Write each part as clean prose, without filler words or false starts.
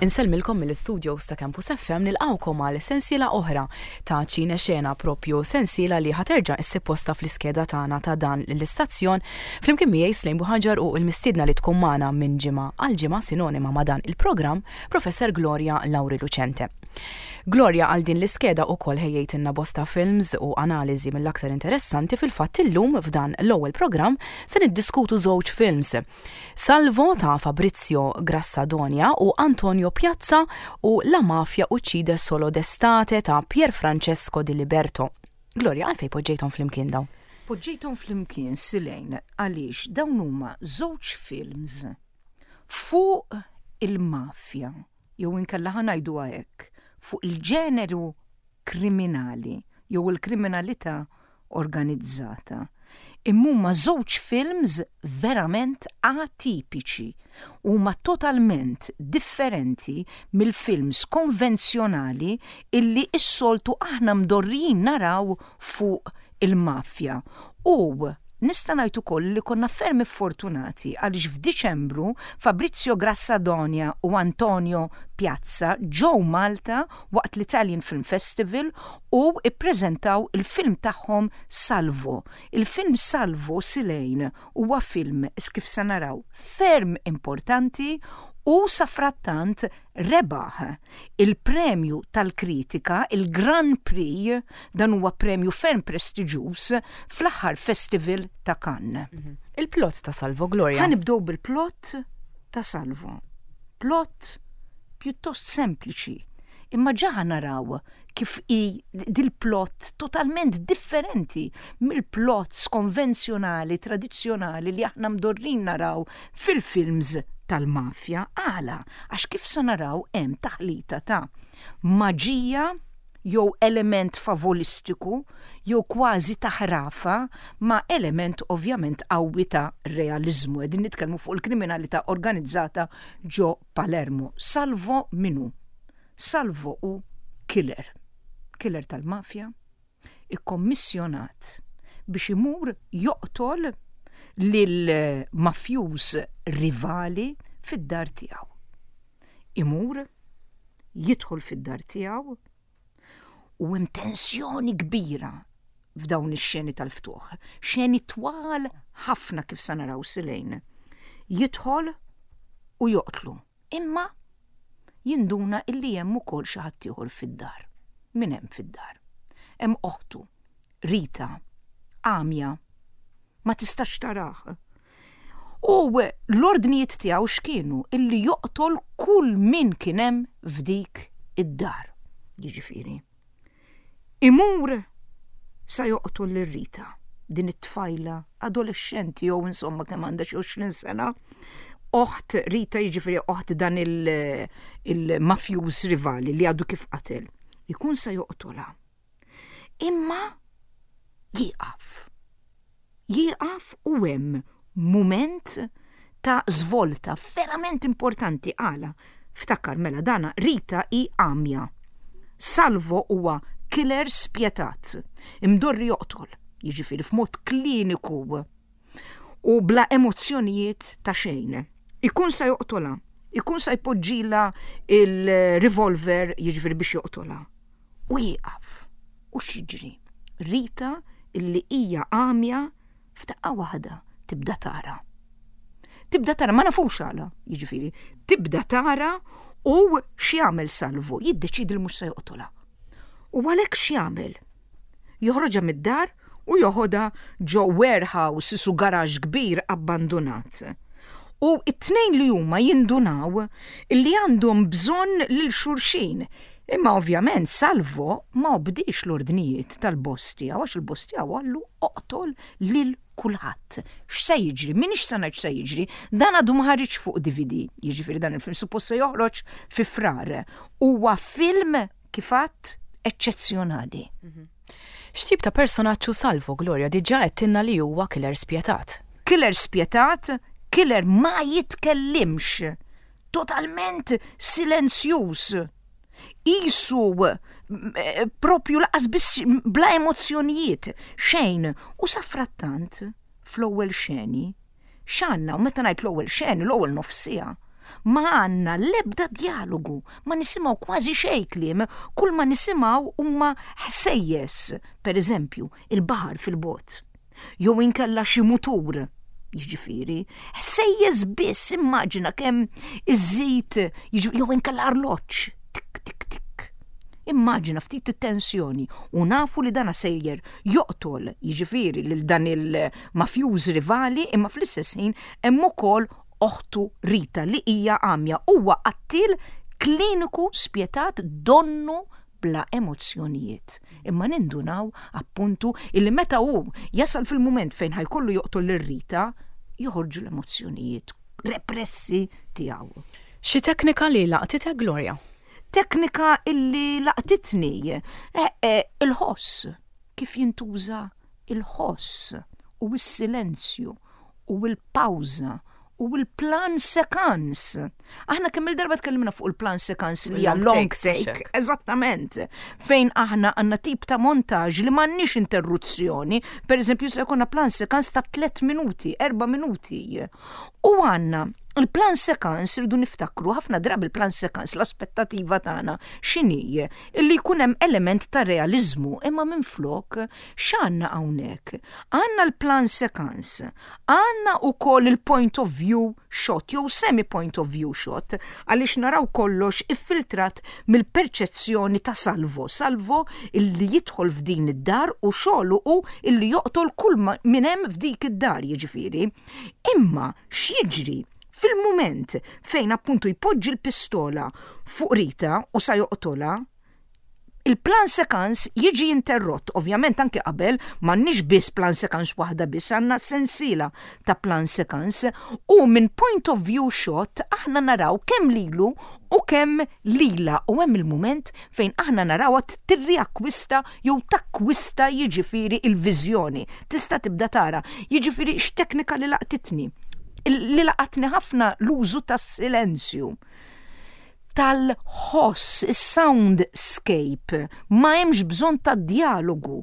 Insellmilkom mill-istudios ta' Campus FM nilqgħukom għal sensiela oħra ta' Ċine Xena propju sensiela li ħa terġa' issib postha fl-iskeda tagħna ta' dan l-istazzjon flimkien miegħi Slejn Buħaġar u l-mistiedna li tkun magħna minn ġimgħa għal ġimgħa sinonima ma' dan il-programm Professor Gloria Lauri Lucente. Gloria għal din l-iskeda ukoll ħejjejtilna bosta films u analiżi mill-aktar interessanti fil-fatt illum f'dan l-ewwel programm se niddiskutu żewġ films Salvo ta' Fabrizio Grassadonia u Antonio Piazza u La mafia uccide solo d'estate ta' Pierfrancesco Di Liberto. Gloria, għalfejn poġġejthom flimkien dawn? Poġġejthom flimkien, Silene, għaliex dawn huma żewġ films fuq il-mafja, jew inkella ħa ngħiduha hekk, fuq il-ġeneru kriminali jew il-kriminalità organizzata. Imma huma żewġ films verament atipiċi. Huma totalment differenti mill-films konvenzjonali illi s-soltu aħna mdorrijin naraw fuq il-mafja. U nista' ngħid ukoll li konna ferm iffortunati għaliex f'Diċembru Fabrizio Grassadonia u Antonio Piazza ġew Malta waqt l-Italian Film Festival u ppreżentaw il-film tagħhom Salvo. Il-film Salvo Silejn huwa film, kif se naraw, ferm importanti u safrattant rebaħ il-premju tal-kritika, il-Grand Prix, dan huwa premju ferm prestiġjuż, fl-aħħar festival ta' Cannes. Il-plot ta' Salvo, Gloria. Ħa nibdew bil-plot ta' Salvo. Plot pjuttost sempliċi, imma ġa ħa naraw kif hi dil-plot totalment differenti mill-plots konvenzjonali, tradizzjonali li aħna mdorrin naraw fil-films tal-mafja. Għala? Għax kif se naraw hemm taħlita ta' maġija jew element favolistiku jew kważi ta' ħrafa ma' element ovvjament qawwi ta' realiżmu. Qegħdin nitkellmu fuq il-kriminalità organizzata ġo Palermo. Salvo min hu? Salvo hu killer, killer tal-mafja, ikkommissjonat biex imur joqtol lil mafjuż rivali fid-dar tiegħu. Imur, jidħol fid-dar tiegħu u hemm tensjoni kbira f'dawn ix-xeni tal-ftuħ. Xeni twal ħafna kif sa naraw silejn. Jidħol u joqtlu. Imma jinduna illi hemm ukoll xi ħadd ieħor fid-dar. Min hemm fid-dar? Hemm oħtu, Rita, għamja, ma tistax tarah. U l-ordnijiet tiegħu x'kienu? Illi joqtol kull min kien hemm f'dik id-dar. Jiġifieri, Imur sa joqtol lil Rita, din it-tfajla adolexxenti jew insomma kemm għandha xi 20 sena, oħt Rita jiġifieri oħt dan il-mafjuż rivali li għadu kif qatel. Ikun sa joqtolha. Imma jieqaf. Jieqaf u hemm mument ta' żvolta verament importanti għala. Ftakar mela dana Rita hi għamja. Salvo huwa killer spjetat, imdorri joqtol, jiġifieri f'mod kliniku u bla emozzjonijiet ta' xejn. Ikun sa joqtolha, ikun sa jpoġġilha il-revolver jiġifieri biex joqtolha. U jieqaf. U x'jiġri? Rita illi hija għamja f'daqqa waħda tibda tara. Tibda tara, ma nafux għala, jiġifieri, tibda tara u x'jagħmel Salvu? Jiddeċiedi li mhux se joqtolha. U għalhekk x'jagħmel? Joħroġha mid-dar u joħodha ġo warehouse isu garaxx kbir abbandunat. U t-tnejn li huma jindunaw li għandhom bżonn lil xulxin. Imma ovvjament Salvo ma obdiex l-ordnijiet tal-boss tiegħu għax il-boss tiegħu qallu oqtol lil kulħadd. X'se jiġri? M'iniex se ngħid x'se jiġri. Dan għadu ma ħariġx fuq DVD. Jiġifieri dan il-film suppost se joħroġ fi Frar. Huwa film kif għadt eċċezzjonali. Mhm. X'tip ta' personaġġ hu Salvo, Gloria? Diġà għedtilna li huwa killer spjetat. Killer spjetat, killer ma jitkellimx. Totalment silenzjuż. Qisu eh, propju laqas biss bla emozzjonijiet, xejn. U safrattant, fl-ewwel xeni, x'għandna, u meta ngħid l-ewwel xeni, l-ewwel nofs siegħa. Ma għandna l-ebda djalogu, ma nisimgħu kważi xejn kliem, kull ma nisimgħu huma ħsejjes, per eżempju, il-baħar fil-bogħod. Jew inkella xi mutur, jiġifieri, ħsejjes biss immaġina kemm iżżid jew inkella arloġġ, tik tik tik. Immaġina ftit it-tensjoni u nafu li dana sejjer joqtol, jiġifieri lil dan il-mafjuż rivali imma fl-istess ħin hemm ukoll oħtu Rita li hija għamja huwa qattiel kliniku spjetat donnu bla emozzjonijiet. Imma nindunaw appuntu illi meta hu jasal fil-mument fejn ħa jkollu joqtol lil Rita, joħorġu l-emozzjonijiet repressi tiegħu. Xi teknika li laqtitek Gloria? Teknika illi laqtitni eh, eh, il-ħoss, kif jintuża il-ħoss u s-silenzju u l-pawża u l-plan sekans. Aħna kemm il-darba tkellimna fuq il-plan sekans li hija long take, eżattament, fejn aħna għandna tip ta' montaġġ li m'għandniex interruzzjoni, per eżempju se jkollna plan sekans ta' 3 minuti, 4 minuti. U għandna il-plan sekans irridu niftakru ħafna drabi il-plan sekans l-aspettativa tagħna x'inhi illi jkun hemm element ta' realiżmu imma minflok X'għandna hawnhekk? Għandna l-plan sekans, għandna wkoll il-point of view shot jew semi point of view shot għaliex naraw kollox iffiltrat mill-perċezzjoni ta' Salvo, Salvo illi jidħol f'din id-dar u xogħlu hu illi joqtol kull min hemm f'dik id-dar jiġifieri. Imma x'jiġri fil-mument fejn appuntu jpoġġi l-pistola fuq Rita u sa joqtolha, Il-plan sekans jiġi interrott, ovvjament anki qabel m'għandniex biss plan sekans waħda biss, għandna sensiela ta' plan sekans u minn point of view shot aħna naraw kemm lilu u kemm lilha u hemm il-mument fejn aħna narawha tirriakkwista jew takkwista jiġifieri il-viżjoni. Tista' tibda tara, jiġifieri x'teknika li laqtitni. Li laqatni ħafna l-użu tas-silenzju. tal-ħoss, is-soundscape, ma hemmx bżonn ta' djalogu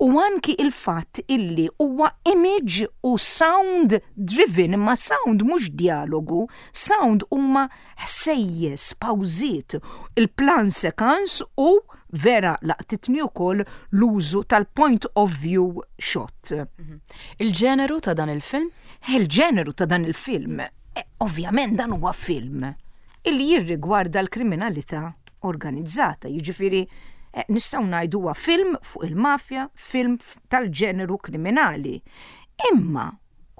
u anki il-fatt illi huwa image u sound driven, imma sound mhux djalogu, sound huma ħsejjes, pawżiet, il-plan sekans u vera laqtitni wkoll l-użu tal-point of view shot. Il-ġeneru ta' dan il-film? Il-ġeneru ta' dan il-film, eh, ovvjament dan huwa film illi jirrigwarda l-kriminalità organizzata, jiġifieri eh, nistgħu ngħidu huwa film fuq il-mafja, film tal-ġeneru kriminali. Imma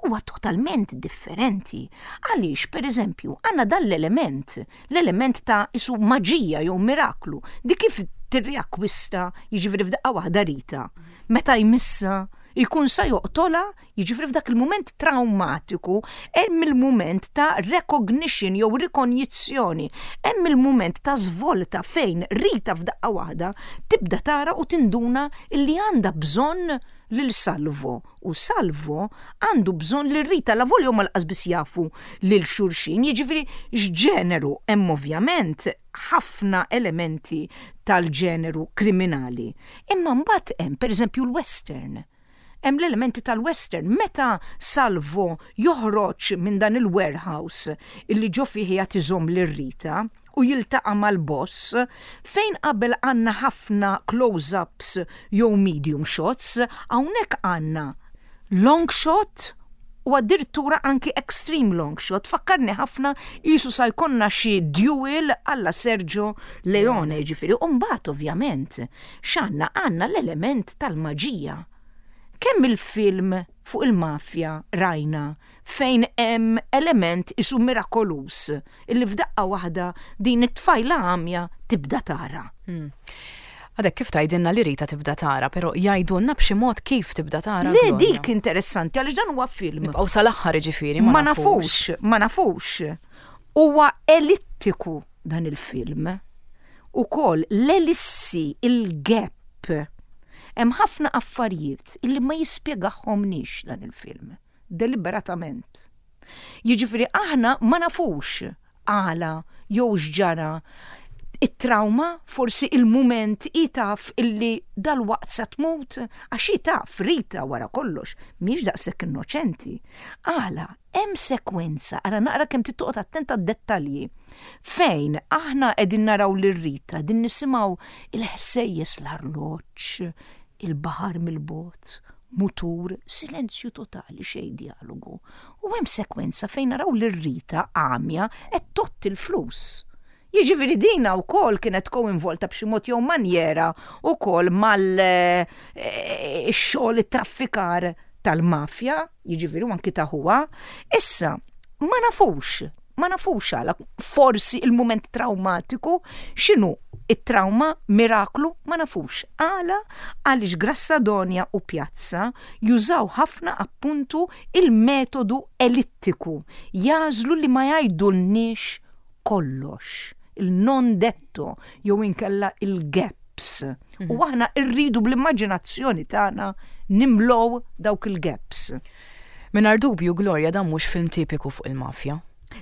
huwa totalment differenti. Għaliex, per eżempju, għandna dan l-element, l-element ta' isu maġija jew miraklu, di kif tirriakkwista, jiġifieri f'daqqa waħda Rita, meta jmissa jkun sa joqtola Jiġifieri f'dak il-mument traumatiku hemm il-mument ta' recognition jew rikonjizzjoni, hemm il-mument ta' żvolta fejn Rita f'daqqa waħda tibda tara u tinduna illi għandha bżonn lil Salvo u Salvo għandu bżonn lil Rita lavolja huma lanqas biss jafu lil xulxin, jiġifieri x'ġeneru hemm ovvjament ħafna elementi tal-ġeneru kriminali. Imma mbagħad hemm pereżempju l-western. Hemm l-elementi tal-western. Meta Salvo joħroġ minn dan il-warehouse illi ġo fih qiegħed iżomm lil Rita u jiltaqa' mal-boss, fejn qabel għandna ħafna close-ups jew medium shots, hawnhekk għandna long shot u addirittura anki extreme long shot. Fakkarni ħafna qisu sa jkollna xi duel alla Sergio Leone, jiġifieri. U mbagħad ovvjament X'għandna? Għandna l-element tal-maġija. Kemm il-film fuq il-mafja rajna fejn hemm element isu mirakoluż illi f'daqqa waħda din it-tfajla għamja tibda tara. Hmm. Għadek kif tgħidilna li Rita tibda tara, però jgħidulna b'xi mod kif tibda tara. Le dik interessanti għaliex dan huwa film. Nibqgħu sal-aħħar jiġifieri ma nafux. Ma nafux. Huwa elittiku dan il-film. Ukoll l-elissi, il-gap. Hemm ħafna affarijiet illi ma jispjegahomniex dan il-film, deliberatament. Jiġifieri aħna ma nafux għala jew x'ġara it-trauma, forsi il-mument hi taf illi dalwaqt sa tmut, għax hi taf, Rita wara kollox, mhijiex daqshekk innoċenti. Għala? Hemm sekwenza, ara naqra kemm trid toqgħod attent għad-dettalji, fejn aħna qegħdin naraw lil Rita, qegħdin nisimgħu il-ħsejjes l-arloġġ, il-baħar mill-bogħod, mutur, silenzju totali, xejn djalogu. U hemm sekwenza fejn naraw lil Rita għamja qed tgħodd il-flus. Jiġifieri dina wkoll kienet koinvolta b'xi mod jew manjera wkoll mal eh, xogħol it-traffikar tal-mafja, jiġifieri u anki ta' ħuha. Issa, ma nafux, ma nafux għala, forsi il-mument traumatiku, x'inhu it-trauma, miraklu, ma nafux. Għala għaliex Grassadonja u Pjazza jużaw ħafna appuntu il-metodu elittiku, jagħżlu li ma jgħidulniex kollox, il-non detto jew inkella il-gaps. Mhm. U aħna rridu bl-immaġinazzjoni tagħna nimlow dawk il-gaps. Mingħajr dubju, Gloria, dan mhux film tipiku fuq il-mafja.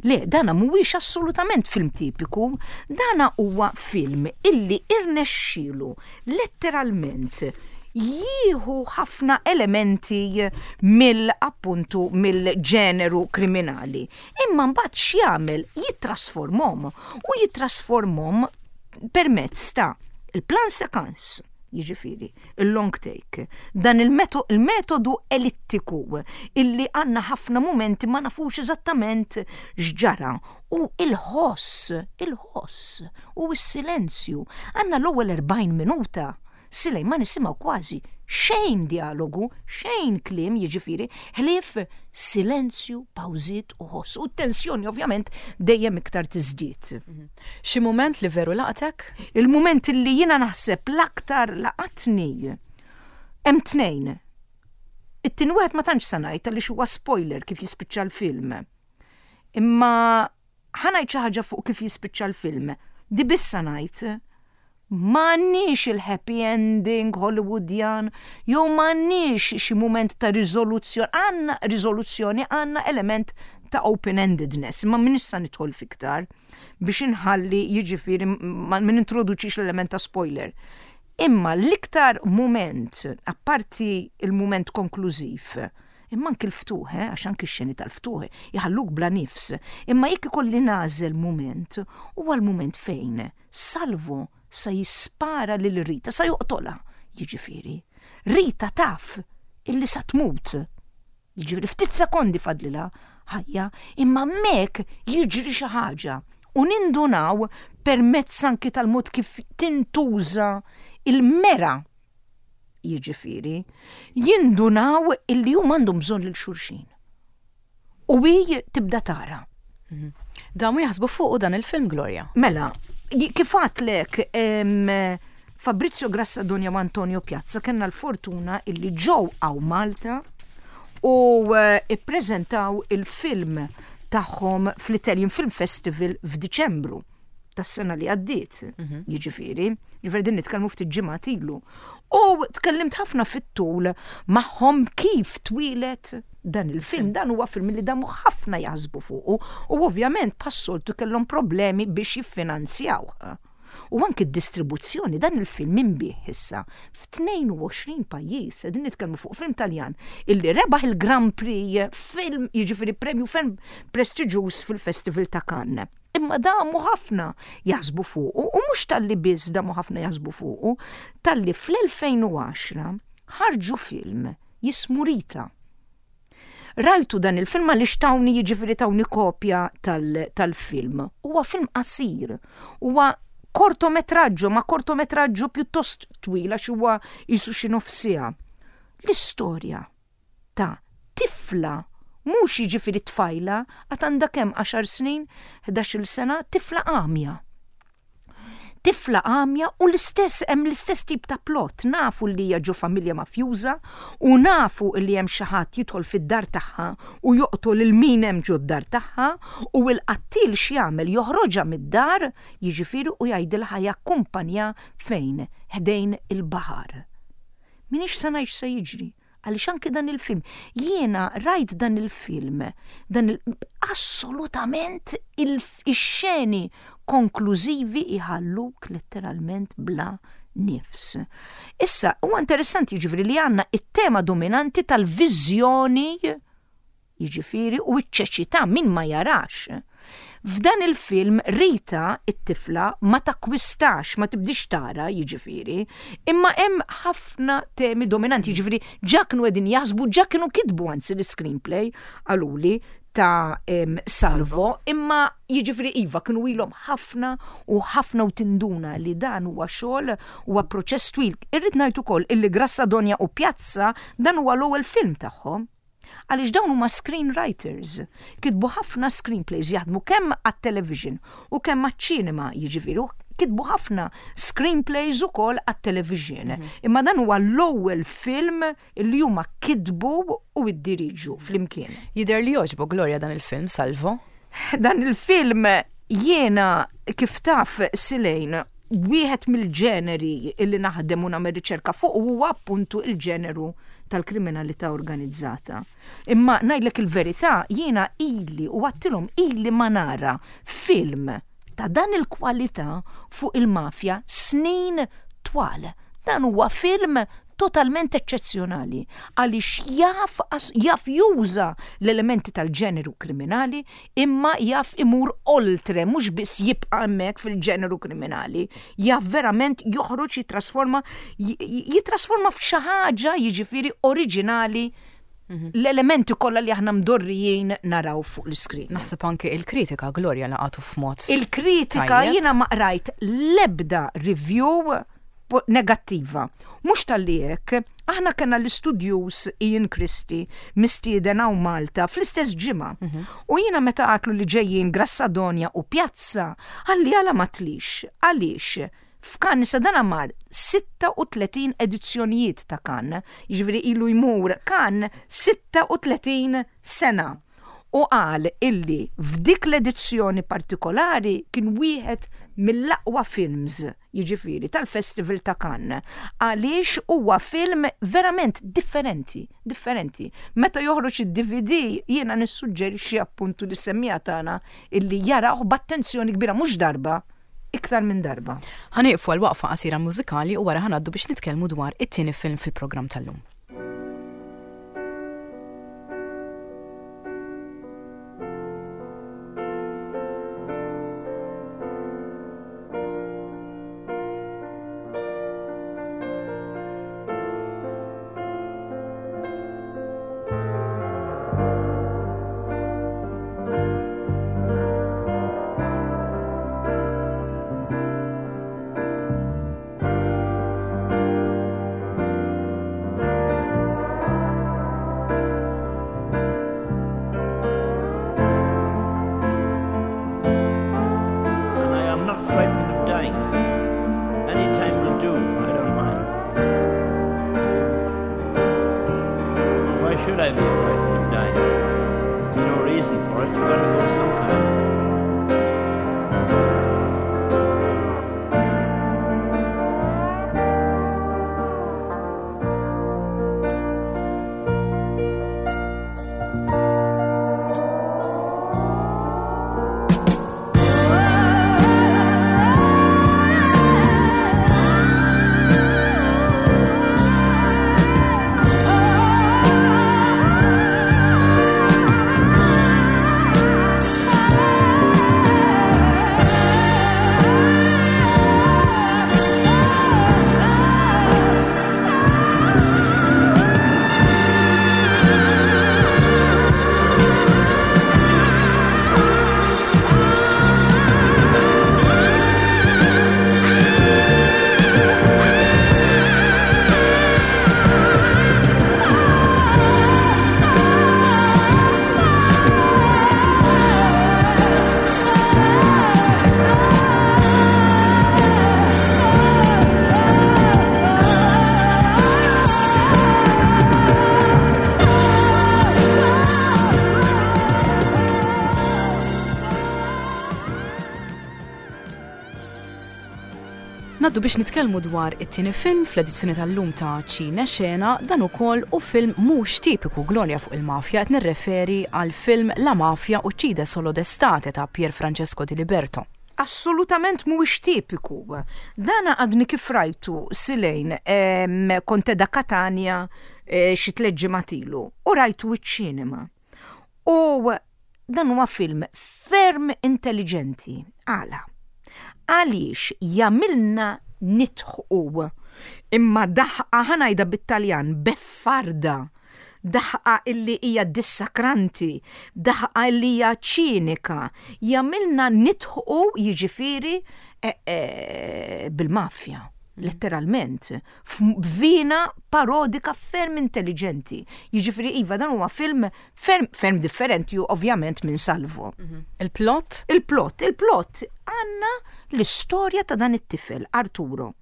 Le, dana mhuwiex assolutament film tipiku, dana huwa film illi irnexxielu letteralment jieħu ħafna elementi mill appuntu mill-ġeneru kriminali. Imma mbagħad x'jagħmel? Jittrasformhom u jittrasformhom permezz ta' il-plan sekans, jiġifieri il-long take, dan il-metodu elittiku illi għandna ħafna mumenti ma nafux eżattament x'ġara u il-ħoss, il-ħoss u s-silenzju. Għandna l-ewwel 40 minuta Silej ma nisimgħu kważi xejn djalogu, xejn kliem jiġifieri, ħlief silenzju, pawżiet u ħoss. U t-tensjoni ovvjament dejjem iktar tiżdied. Mhm. Xi mument li veru laqtek? Il-mument li jiena naħseb l-aktar laqatni hemm tnejn. It-tieni wieħed ma tantx sa ngħid għaliex huwa spoiler kif jispiċċa l-film. Imma ħa ngħid xi ħaġa fuq kif jispiċċa l-film. Di biss sa ngħid M'għandniex il-happy ending Hollywoodjan jew m'għandniex xi mument ta' riżoluzzjoni, għandna riżoluzzjoni, għandna element ta' open-endedness, imma m'iniex sa nidħol f'iktar biex inħalli jiġifieri ma nintroduċix l-element ta' spoiler. Imma l-iktar mument, apparti il-mument konklużiv, imma anki l-ftuħ, eh, għax anki x-xeni tal-ftuħ iħalluk bla nifs, imma jekk ikolli nagħżel mument, huwa l-mument fejn Salvu sa jispara lil Rita, sa joqtolha, jiġifieri. Rita taf illi sa tmut. Jiġifieri ftit sekondi fadlilha ħajja, imma hemmhekk jiġri xi ħaġa u nindunaw permezz anki tal-mod kif tintuża il-mera jiġifieri, jindunaw illi huma għandhom bżonn lil xulxin. U hi tibda tara. Mhm. Damu jaħsbu fuqu dan il-film Gloria. Mela, kif għatlek Fabrizio Grassadonja u Antonio Piazza kellna l-fortuna illi ġew għaw Malta u eh, ippreżentaw il-film tagħhom fl-Italian Film Festival f'Diċembru tas-sena li għaddiet, mhm. jiġifieri, jiġifieri din nitkellmu ftit ġimgħat ilu. U tkellimt ħafna fit-tul magħhom kif twieled dan il-film. Dan huwa film li damu ħafna jaħsbu fuqu u ovvjament bħas-soltu kellhom problemi biex jiffinanzjawh. U anki d-distribuzzjoni dan il-film inbiegħ issa f'22 pajjiż, qegħdin nitkellmu fuq film Taljan illi rebaħ il-Grand Prix film jiġifieri premju ferm prestiġjuż fil-Festival ta' Cannes. Imma damu ħafna jaħsbu fuqu u mhux talli biss damu ħafna jaħsbu fuqu, talli fl-2010 ħarġu film jismu Rita. Rajtu dan il-film għaliex tawni jiġifieri tawni kopja tal-film. Huwa film qasir, huwa kortometraġġo, ma kortometraġġo pjuttost twil għax huwa jisu xi nofsija. L-istorja ta' tifla, mhux jiġifieri tfajla, għad għandha kemm għaxar snin, ħdax-il sena, tifla għamja. Tifla għamja u l-istess hemm l-istess tip ta' plot, nafu li hija ġo familja mafjuża u nafu li hemm xi ħadd jidħol fid-dar tagħha u joqtol lil min hemm ġo d-dar tagħha u l-qattiel x'jagħmel joħroġha mid-dar jiġifieri u jgħidilha ħa jakkumpanja fejn ħdejn il-baħar. M'iniex se ngħid x'se jiġri, għaliex anki dan il-film, jiena rajt dan il-film, dan il assolutament ix-xeni konklużivi jħalluk letteralment bla nifs. Issa, huwa interessanti jiġifieri li għandna it-tema dominanti tal-viżjoni. jiġifieri u ċ-ċeċità min ma jarax. F'dan il-film Rita, it-tifla, ma takkwistax, ma tibdix tara, jiġifieri, imma hemm ħafna temi dominanti, jiġifieri ġa kienu qegħdin jaħsbu, ġa kienu kitbu anzi l-iscreenplay, qaluli, ta' Salvo, imma jiġifieri iva kienu ilhom ħafna u ħafna u tinduna li dan huwa xogħol huwa proċess twil. Irrid ngħid ukoll illi Grassadonja u Pjazza dan huwa l-ewwel film tagħhom. Għaliex dawn huma screenwriters. Kitbu ħafna screenplays jaħdmu kemm għat-television u kemm għaċ-ċinema jiġifieri kitbu ħafna screenplays ukoll għat-television. Imma dan huwa l-ewwel film li huma kitbu u iddiriġu flimkien. Jidher li jogħġbok Gloria dan il-film, Salvo? Dan il-film jiena kif taf Silejn wieħed mill-ġeneri illi naħdem u nagħmel riċerka fuq huwa appuntu il-ġeneru tal-kriminalità organizzata. Imma ngħidlek il-verità jiena ili u għattilhom ili ma nara film ta' dan il-kwalità fuq il-mafja snin twal. Dan huwa film totalment eċċezzjonali għaliex jaf jaf juża l-elementi tal-ġeneru kriminali imma jaf imur oltre mhux biss jibqa' hemmhekk fil-ġeneru kriminali, jaf verament joħroġ jittrasforma jittrasforma f'xi ħaġa jiġifieri oriġinali mhm. l-elementi kollha li aħna mdorrijin naraw fuq l-iskrin. Naħseb anke il-kritika Gloria laqatu f'mod. Il-kritika jiena ma qrajt l-ebda review negattiva. Mhux talli hekk, aħna kellna l-istudjuż Ian Christie mistieden hawn Malta fl-istess ġimgħa. Mhm. U jiena meta għatlu li ġejjin Grassadonja u Pjazza, għalli għala ma tlix. Għaliex? F'Cannes sa dan mar 36 edizzjonijiet ta' Cannes, jiġifieri ilu jmur Cannes 36 sena. U qal illi f'dik l-edizzjoni partikolari kien wieħed mill-aqwa films, jiġifieri tal-Festival ta' Cannes, għaliex huwa film verament differenti, differenti. Meta joħroġ id-DVD jiena nissuġġerixxi appuntu lis-semmiegħa tagħna illi jarawh b'attenzjoni kbira mhux darba, iktar minn darba. Ħa nieqfu għal waqfa qasira mużikali u wara ħa ngħaddu biex nitkellmu dwar it-tieni film fil-programm tal-lum. And I am not frightened of dying. Any time will do, I don't mind. Why should I be frightened of dying? There's no reason for it. You've got to go sometime. Naddu biex nitkellmu dwar it-tieni film fl-edizzjoni tal-lum ta' Ċine Xena, dan ukoll u film mhux tipiku Gloria fuq il-mafja qed nirreferi għal film La Mafia Uccide Solo d'Estate ta' Pier Francesco Di Liberto. Assolutament mhuwiex tipiku. Dana għadni kif rajtu Silejn kont qiegħda Katanja eh, xi tliet ġimgħat ilu u rajtu iċ-ċinema. U dan huwa film ferm intelliġenti. Għala? Għaliex jagħmilna nidħqu imma daħqa ħa ngħidha bit-Taljan beffarda, daħqa illi hija dissakranti, daħqa illi hija ċinika, jagħmilna nidħqu jiġifieri eh, eh, bil-mafja letteralment, b'vina parodika ferm intelligenti. Jiġifieri iva dan huwa film ferm, ferm differenti ovvjament minn Salvo. Mhm. Il-plot? Il-plot, il-plot għandna l-istorja ta' dan it-tifel Arturo.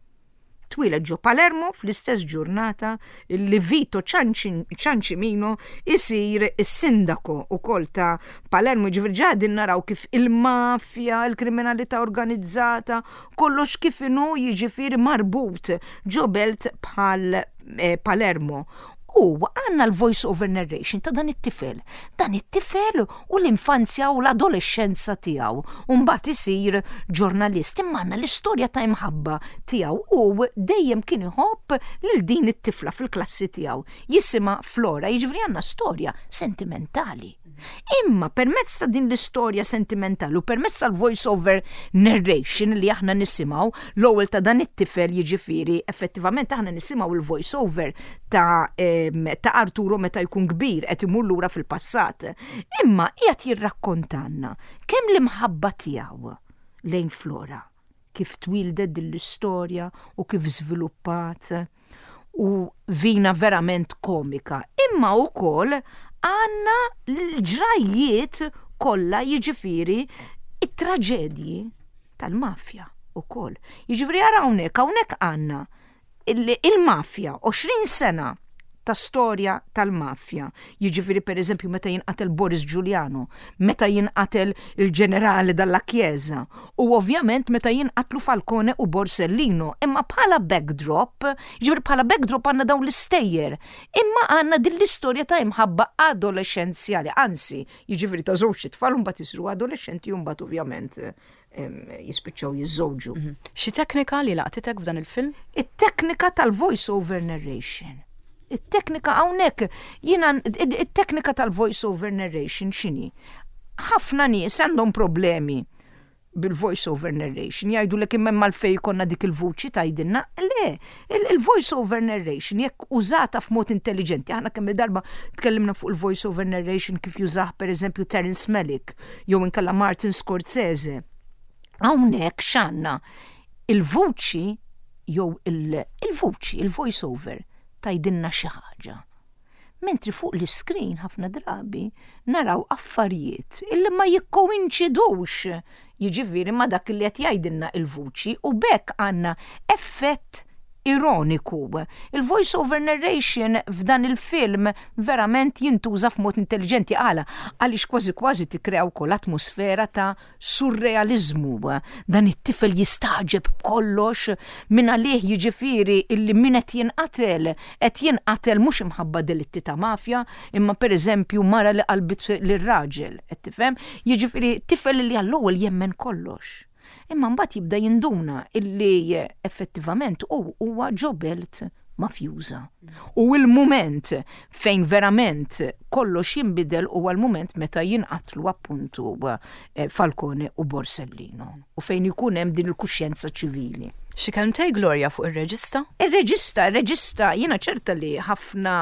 Twieled ġo Palermo fl-istess ġurnata li Vito Ciancimino isir is-sindako ukoll ta' Palermo. Ġifieri ġa qegħdin naraw kif il-mafja, il-kriminalità organizzata, kollox kif inhu jiġifieri marbut ġo belt bħal eh, Palermo. U għandna l-voice over narration ta' dan it-tifel. Dan it-tifel u l-infanzja u l-adolescenza tiegħu. U mbagħad isir ġurnalist. Imma għandna l-istorja ta' imħabba tiegħu u dejjem kien iħobb lil din it-tifla fil-klassi tiegħu. Jisimha Flora, jiġifieri għandna storja sentimentali. Imma permezz ta' din l-istorja sentimentali u permezz tal-voice over narration li aħna nisimgħu l-ewwel ta' dan it-tifel jiġifieri effettivament aħna nisimgħu il-voice over ta', ta' Arturo meta jkun kbir qed imur lura fil-passat. Imma qiegħed jirrakkontanna kemm l-imħabba tiegħu lejn Flora kif twieldet din l-istorja u kif żviluppat u vina verament komika. Imma wkoll għandna l-ġrajjiet kollha jiġifieri it-traġedji tal-mafja ukoll. Jiġifieri ara hawnhekk, hawnhekk għandna il-mafja 20 sena ta' storja tal-mafja. Jiġifieri pereżempju meta jinqatel Boris Giuliano, meta jinqatel il-ġenerali Dalla Chiesa u ovvjament meta jinqatlu Falcone u Borsellino. Imma bħala backdrop, jiġifieri bħala backdrop għandna dawn l-istejjer. Imma għandna din l-istorja ta' imħabba adolexxenzjali, anzi, jiġifieri ta' żewġ itfal u mbagħad isiru adolexxenti u mbagħad ovvjament jispiċċaw jiżżewġu. Mhm. Xi teknika li laqtitek f'dan il-film? It-teknika tal-voice over narration. It-teknika hawnhekk jiena it-teknika tal-voice over narration x'inhi? Ħafna nies għandhom problemi bil-voice over narration, jgħidu li imma għalfejn ikollna dik il-vuċi tgħidilna. Le, il-voice over narration jekk użata f'mod intelligenti, aħna kemm darba tkellimna fuq il-voice over narration kif jużah per eżempju Terence Malick jew inkella Martin Scorsese. Hawnhekk x'għandna il-vuċi jew il-vuċi, il-voice over tgħidilna xi ħaġa. Mentri fuq l-iskrin ħafna drabi naraw affarijiet illi ma jikkoinċidux jiġifieri ma dak li qed jgħidilna il-vuċi u b'hekk għandna effett ironiku. Il-voice over narration f'dan il-film verament jintuża f'mod intelligenti għala għaliex kważi kważi tikkrea wkoll atmosfera ta' surrealizmu. Dan it-tifel jistagħġeb b'kollox minn għalih jiġifieri illi min qed jinqatel qed jinqatel mhux imħabba delitti ta' mafja, imma pereżempju mara li qalbit lir-raġel, qed tifhem? Jiġifieri tifel li għall-ewwel jemmen kollox. Imma mbagħad jibda jinduna illi effettivament hu huwa ġo belt mafjuża. U il-mument fejn verament kollox jinbidel huwa l-mument meta jinqatlu appuntu eh, Falcone u Borsellino u fejn ikun hemm din il-kuxjenza ċivili. Xi kelmtej Gloria fuq ir-reġista? Ir-reġista, ir-reġista, jiena ċerta li ħafna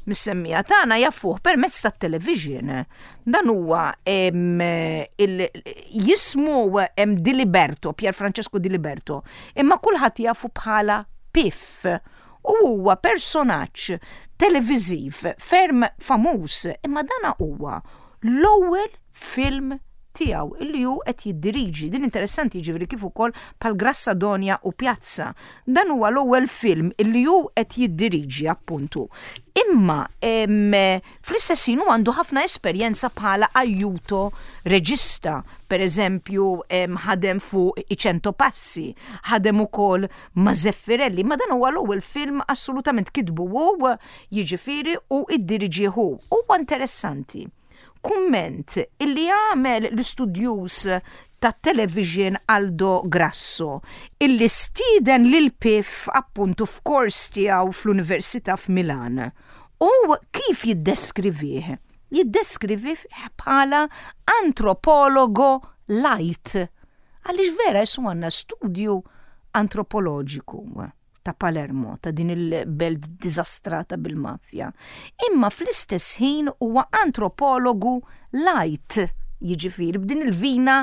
mis-semmiegħa tagħna jafuh permezz tat-television. Dan huwa jismu Di Liberto, Pier Francesco Di Liberto, imma kulħadd jafu bħala Piff. U huwa personaġġ televiżiv ferm famuż, imma dana huwa l-ewwel film tiegħu illi hu qed jiddiriġi. Din interessanti jiġifieri kif ukoll bħal Grassadonia u Pjazza. Dan huwa l-ewwel film illi hu qed jiddiriġi appuntu. Imma fl-istess ħin hu għandu ħafna esperjenza bħala aiuto reġista. Per eżempju, ħadem fuq I Cento Passi, ħadem ukoll ma' Zeffirelli, ma dan huwa l-ewwel film assolutament kitbu hu, jiġifieri u iddiriġih hu. Huwa interessanti kumment illi għamel l-istudjuż tat-television Aldo Grasso illi stieden lil Piff appuntu f'kors tiegħu fl-Università f'Milan. U kif jiddeskrivih? jiddeskrivi bħala antropologo light. Għaliex vera jessu għandna studju antropoloġiku ta' Palermo, ta' din il-belt diżastrata bil-mafja. Imma fl-istess ħin huwa antropologu light, jiġifieri b'din il-vina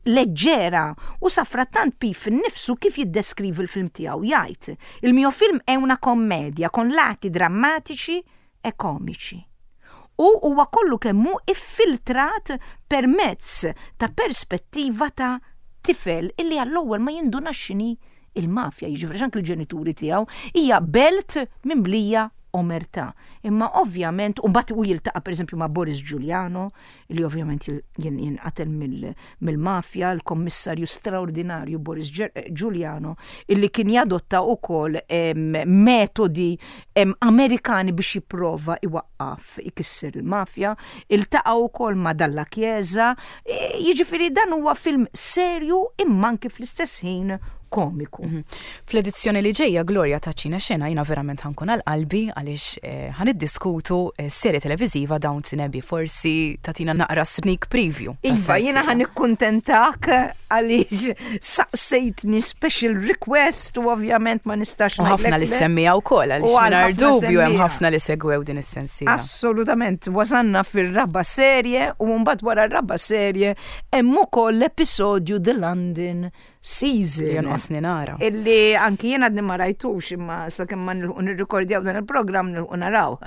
leġġera u safrattant Pif innifsu kif jiddeskrivi l-film tiegħu jgħid, Il mio film è una commedia con lati drammatici e komiċi. U huwa kollu kemm hu iffiltrat permezz ta' perspettiva ta' tifel illi għall-ewwel ma jindunax x'inhi il-mafja, jiġifieri anke l-ġenituri tiegħu, hija belt mimlija omertà. Imma ovvjament, u mbagħad hu jiltaqa' pereżempju ma' Boris Giuliano, li ovvjament jinqatel mill-mafja, l-kommissarju straordinarju Boris Giuliano, illi kien jadotta wkoll metodi Amerikani biex jipprova iwaqqaf ikisser il-mafja, iltaqa' wkoll ma' Dalla Chiesa, jiġifieri dan huwa film serju imma anki fl-istess ħin komiku. Mhm. Fl-edizzjoni li ġejja Gloria ta' Ċina Xena jina verament ħankun għal qalbi għaliex eh, ħan iddiskutu eh, serje televiżiva Downton Abbey forsi tatina naqra sneak preview. Iva, jiena ħan ikkuntentak għaliex saqsejtni special request u ovvjament ma nistax. U ħafna li semmija wkoll għaliex mingħajr dubju hemm ħafna li segwew din is-sensiela. Assolutament, wasanna fir-raba serje u mbagħad wara r-raba serje hemm ukoll l-episodju The London Season. Li jonqosni nara. Illi anki jien għadni ma rajtux imma sakemm ma nilħu nirrikordjaw dan il-programm nilħu naraw.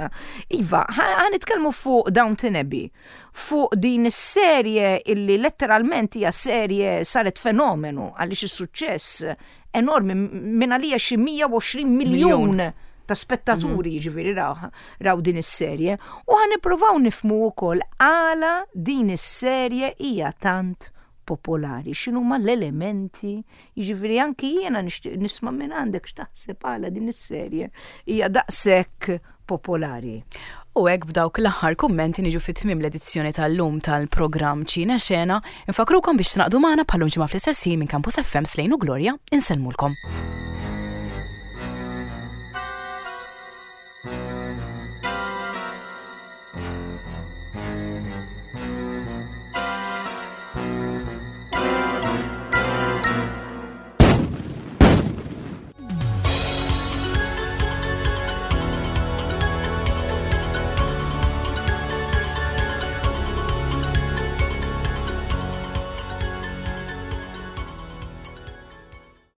Iva, ħa nitkellmu fuq Downton Abbey, fuq din is-serje illi letteralment hija serje saret fenomenu għaliex is-suċċess enormi minn għalija xi 120 miljun ta' spettaturi mhm. jiġifieri raw, raw din is-serje u ħa nippruvaw nifmu wkoll għala din is-serje hija tant popolari, x'inhuma l-elementi, jiġifieri anki jiena nixtieq nisma' minn għandek x'taħseb għala din is-serje hija daqshekk popolari. U hekk b'dawk l-aħħar kummenti niġu fi tmiem l-edizzjoni tal-lum tal-programm Ċina Xena. Infakrukom biex tingħaqdu magħna bħal ġimgħa fl-istess ħin minn Campus FM Slejn u Gloria insellmulkom.